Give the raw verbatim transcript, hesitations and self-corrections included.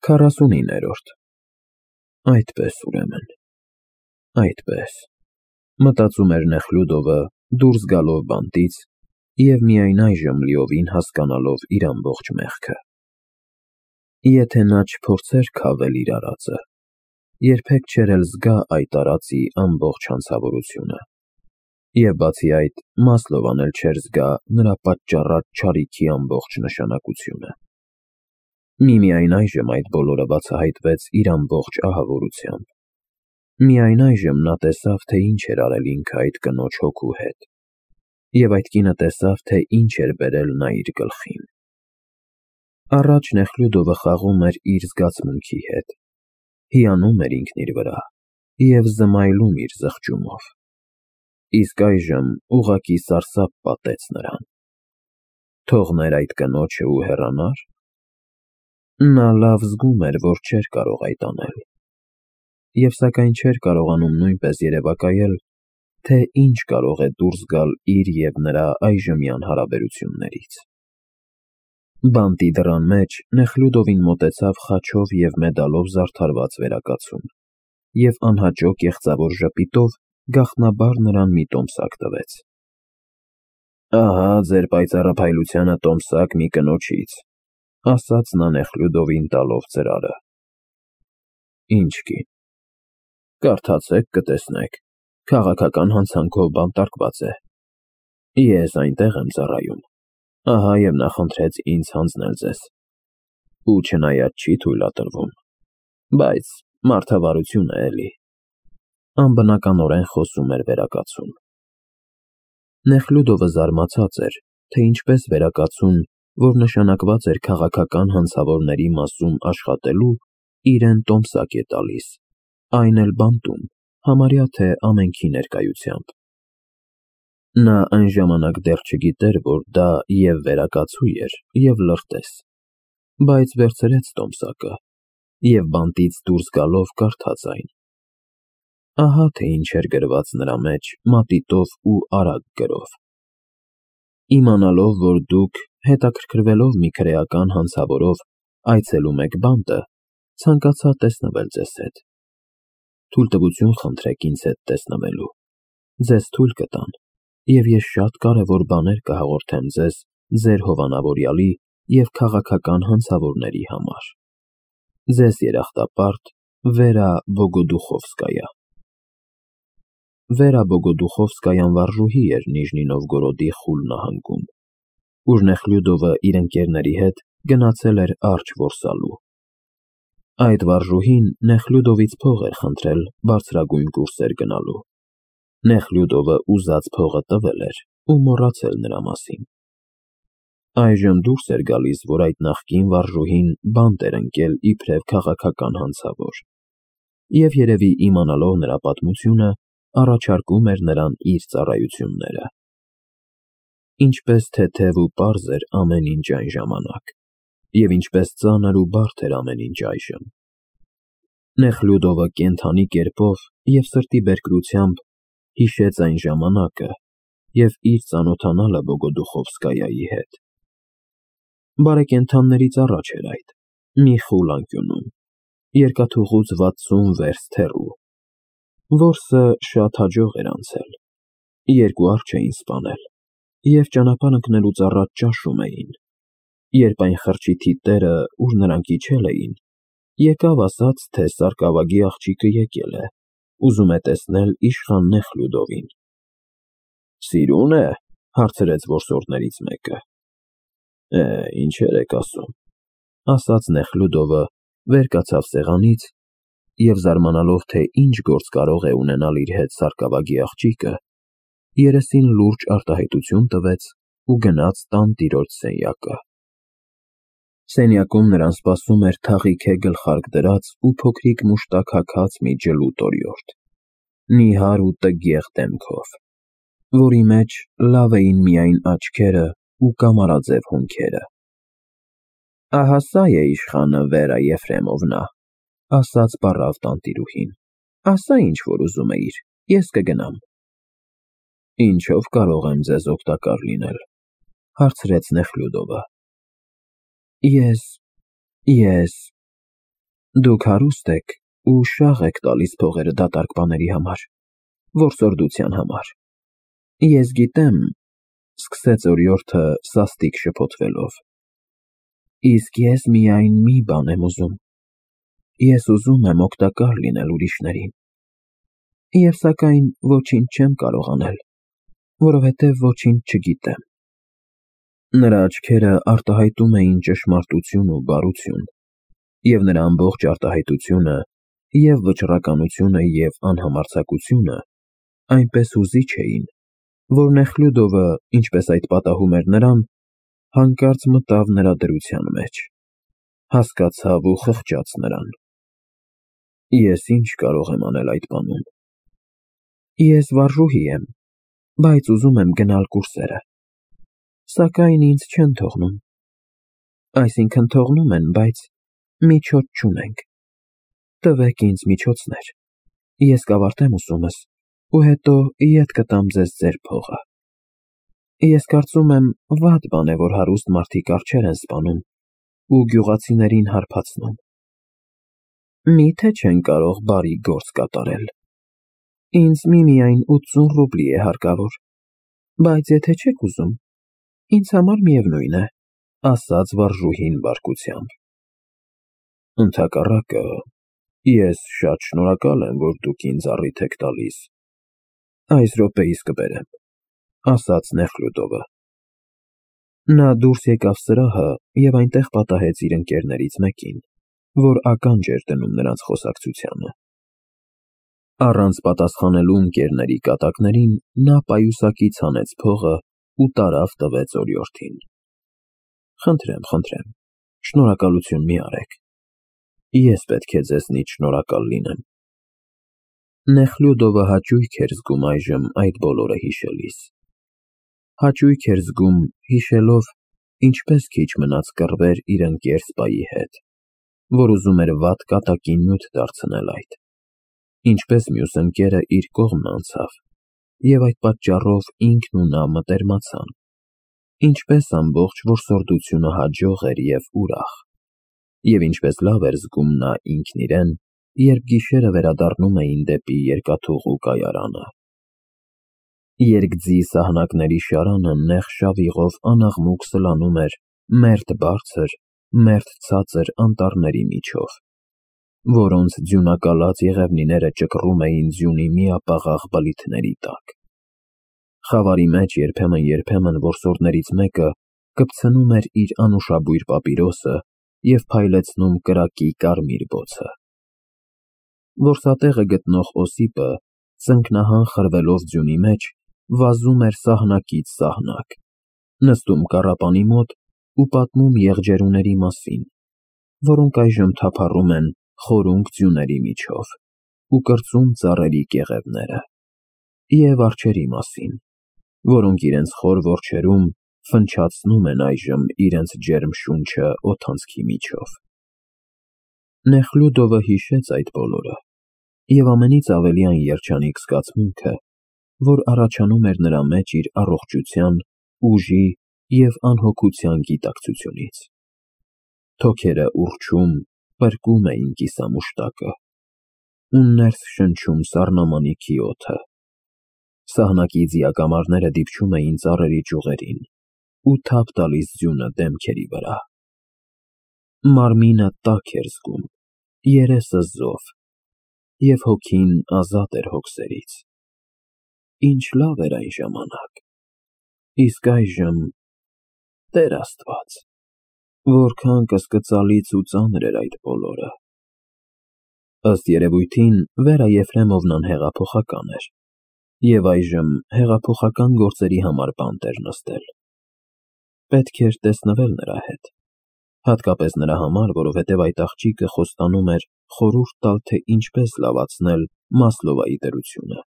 Քառասունիններորդ Այդպես ուրեմն, այդպես, մտածում էր Նեխլյուդովը դուրս գալով բանտից և միայն այժմ լիովին հասկանալով իր ամբողջ մեղքը։ Եթե նա չփորձեր քավել իր արածը, երբեք չէր էլ զգա այդ արածի ամբողջ հանցավորությունը, և բացի այդ, Մասլովան էլ չէր զգա նրա պատճառած չարիքի ամբողջ նշանակությունը։ Միմիայն այժմ այդ բոլորը բացահայտվեց իր ամբողջ ահավորությամբ։ Միայն այժմ նա տեսավ, թե ինչ էր արել ինքը այդ կնոջ հոգու հետ, և այդ կինը տեսավ, թե ինչ էր բերել նա իր գլխին։ Առաջ Նեխլյուդովը խաղում էր իր զգացմունքի հետ, հիանում էր ինքն իր վրա և զմայլում իր զղջումով, իսկ այժմ ուղղակի սարսափ պատեց նրան։ Թողնե՞ր այդ կնոջը ու հեռանա՞ր։ Նա լավ զգում էր, որ չէր կարող այդ անել, և սակայն չէր կարողանում նույնպես երևակայել, թե ինչ կարող է դուրս գալ իր և նրա այժմյան հարաբերություններից։ Բանտի դռան մեջ Նեխլյուդովին մոտեցավ խաչով և մեդալով զարդարված վերակացուն և անհաճո կեղծավոր ժպիտով գաղտնաբար նրան մի տոմսակ տվեց։ Ահա ձեր պայծառափայլությանը տոմսակ մի կնոջից, ասաց նա Նեխլյուդովին տալով ծրարը։ Ինչ կին, կարդացեք, կտեսնեք, քաղաքական հանցանքով բանտարկված է։ Ես այնտեղ եմ ծառայում, ահա և նա խնդրեց ինձ հանձնել ձեզ, ու չնայած չի թույլատրվում, բայց մարդավարություն է էլի։ Անբնականորեն խոսում էր վերակացուն։ Նեխլյուդովը զարմացած էր, թե ինչպես վերակացուն, որ նշանակված էր քաղաքական հանցավորների մասում աշխատելու, իրեն տոմսակ է տալիս, այն էլ բանտում, համարյա թե ամենքի ներկայությամբ։ Նա այն ժամանակ դեռ չգիտեր, որ դա և վերակացու էր, և լրտես, բայց վերցրեց տոմսակը և բանտից դուրս գալով կարդաց այն։ Ահա թե ինչ էր գրված նրա մեջ մատիտով ու արագ գրով. Իմանալով, որ դուք, հետաքրքրվելով մի քրեական հանցավորով, այցելում եք բանտը, ցանկացա տեսնվել ձեզ հետ։ Թույլտվություն խնդրեք ինձ հետ տեսնվելու, ձեզ թույլ կտան, և ես շատ կարևոր բաներ կհաղորդեմ ձեզ ձեր հովանավորյալի և քաղաքական հանցավորների համար։ Ձեզ երախտապարտ Վերա Բոգոդուխովսկայա։ Վերա Բոգոդուխովսկայան վարժուհի էր Նիժնի Նովգորոդի Խուլ նահանգում, ուր Նեխլյուդովը իր ընկերների հետ գնացել էր արջ որսալու։ Այդ վարժուհին Նեխլյուդովից փող էր խնդրել բարձրագույն կուրսեր գնալու։ Նեխլյուդովը ուզած փողը տվել էր ու մոռացել նրա մասին։ Այժմ դուրս էր գալիս, որ այդ նախկին վարժուհին բանտ էր ընկել իբրև քաղաքական հանցավոր, և երևի իմանալով նրա պատմությունը, առաջարկում էր նրան իր ծառայությունները։ Ինչպես թեթև ու պարզ էր ամեն ինչ այն ժամանակ, և ինչպես ծանր ու բարդ էր ամեն ինչ այժմ։ Նեխլյուդովը կենդանի կերպով և սրտի բերկրությամբ հիշեց այն ժամանակը և իր ծանոթանալը Բոգոդուխովսկայայի հետ։ Բարեկենդաններից առաջ էր այդ, մի խուլ անկյունում, երկաթուղուց վաթսուն վերստ հեռու։ Որսը շատ հաջող էր անցել, երկու արջ էին սպանել, և ճանապարհ ընկնելուց առաջ ճաշում էին, երբ այն խրճիթի տերը, ուր նրանք իջել էին, եկավ, ասաց, թե սարկավագի աղջիկը եկել է, ուզում է տեսնել իշխան Նեխլյուդովին։ Սիրո՞ւն է, հարցրեց որսորդներից մեկը։ Է, ինչեր եք ասում, ասաց Նեխլյուդովը, վեր կացավ սեղանից և զարմանալով, թե ինչ գործ կարող է ունենալ իր հետ սարկավագի աղջիկը, երեսին լուրջ արտահայտություն տվեց ու գնաց տանտիրոջ սենյակը։ Սենյակում նրան սպասում էր թաղիթե գլխարկ դրած ու փոքրիկ մուշտակ հագած մի ջլուտ օրիորդ, նիհար ու տգեղ դեմքով, որի մեջ լավ էին միայն աչքերը ու կամարաձև հոնքերը։ Ահա սա է իշխանը Վերա Եֆրեմովնա, ասաց պառավ տանտիրուհին, ասա ինչ որ ուզում էիր, ես կգնամ։ Ինչով կարող եմ ձեզ օգտակար լինել, հարցրեց Նեխլյուդովը։ Ես, ես, Դուք հարուստ եք ու շաղ եք տալիս փողերը դատարկ բաների համար, որսորդության համար։ Ես գիտեմ, սկսեց օրիորդը սաստիկ շփոթվելով, իսկ ես միայն մի բան եմ ուզում. ես ուզում եմ օգտակար լինել ուրիշներին, և սակայն ոչինչ չեմ կարող անել, որովհետև ոչինչ չգիտեմ։ Նրա աչքերը արտահայտում էին ճշմարտություն ու բարություն, և նրա ամբողջ արտահայտությունը, և վճռականությունը, և անհամարձակությունը այնպես հուզիչ էին, որ Նեխլյուդովը, ինչպես այդ պատահում էր նրան, հանկարծ մտավ նրա դրության մեջ, հասկացավ ու խղճաց նրան։ Ես ի՞նչ կարող եմ անել այդ բանում։ Ես վարժուհի եմ, բայց ուզում եմ գնալ կուրսերը, սակայն ինձ չեն թողնում։ Այսինքն թողնում են, բայց միջոց չունենք։ Տվեք ինձ միջոցներ, ես կավարտեմ ուսումս ու հետո ետ կտամ ձեզ ձեր փողը։ Ես կարծում եմ, վատ բան է, որ հարուստ մարդիկ արջեր են սպանում ու գյուղացիներին հարբեցնում։ Մի՞թե չեն կարող բարի գործ կատարել։ Ինձ միմիայն ութսուն ռուբլի է հարկավոր, բայց եթե չեք ուզում, ինձ համար միևնույն է, ասաց վարժուհին բարկությամբ։ Ընդհակառակը, ես շատ շնորհակալ եմ, որ դուք ինձ առիթ եք տալիս։ Այս րոպեիս կբերեմ, ասաց Նեխլյուդովը։ Նա դուրս եկավ սրահը և այնտեղ պատահեց իր ընկերներից մեկին, որ ականջ էր դնում նրանց խոսակցությանը։ Առանց պատասխանելու ընկերների կատակներին, նա պայուսակից հանեց փողը ու տարավ տվեց օրիորդին։ Խնդրեմ, խնդրեմ, շնորհակալություն մի արեք, ես պետք է ձեզնից շնորհակալ լինեմ։ Նեխլյուդովը հաճույք էր զգում այժմ այդ բոլորը հիշելիս։ Հաճույք էր զգում, հիշելով, ինչպես քիչ մնաց կռվեր իր ընկեր սպայի հետ, որ ուզում էր վատ կատակին նյութ դարձնել այդ, ինչպես մյուս ընկերը իր կողմն անցավ, և այդ պատճառով ինքն ու նա մտերմացան, ինչպես ամբողջ որսորդությունը հաջող էր և ուրախ, և ինչպես լավ էր զգում նա ինքն իրեն, երբ գիշերը վերադառնում էին դեպի երկաթուղու կայարանը։ Երկձի սահնակների շարանը նեղ շավիղով անաղմուկ սլանում էր մերթ բարձր, մերթ ցածր անտառների միջով, որոնց ձյունակալած եղևնիները ճկռում էին ձյունի միապաղաղ բլիթների տակ։ Խավարի մեջ երբեմն-երբեմն որսորդներից մեկը կպցնում էր իր անուշաբույր պապիրոսը և փայլեցնում կրակի կարմիր բոցը։ Որսատեղը գտնող Օսիպը, ծնկնահան խրվելով ձյունի մեջ, վազում էր սահնակից սահնակ, նստում կառապանի մոտ ու պատմում եղջերուների մասին, որոնք այժմ թափառում են խորունկ ձյուների միջով ու կրծում ծառերի կեղևները, և արջերի մասին, որոնք իրենց խոր որջերում ֆնչացնում են այժմ իրենց ջերմ շունչը օդանցքի միջով։ Նեխլյուդովը հիշեց այդ բոլորը և ամենից ավելի այն երջանիկ զգացմունքը, որ առաջանում էր նրա մեջ իր առողջության, ուժի և անհոգության գիտակցությունից։ Թոքերը ուռչում, պրկում էին կիսամուշտակը ու ներս շնչում սառնամանիքի օդը։ Սահնակի ձիակամարները դիպչում էին ծառերի ճյուղերին ու թափ տալիս ձյունը դեմքերի վրա։ Մարմինը տաք էր զգում, երեսը զով, և հոգին ազատ էր հոգսերից։ Ինչ լավ էր այն ժամանակ, իսկ այժմ… Տեր Աստված, որքան կասկծալից ու ծանր էր այդ բոլորը։ Ըստ երևույթին, Վերա Եֆրեմովնան հեղափոխական էր, և այժմ հեղափոխական գործերի համար բանտ էր նստել։ Պետք էր տեսնվել նրա հետ, հատկապես նրա համար, որովհետև այդ աղջիկը խոստանում էր խորհուրդ տալ, թե ինչպես լավացնել Մասլովայի դրությունը։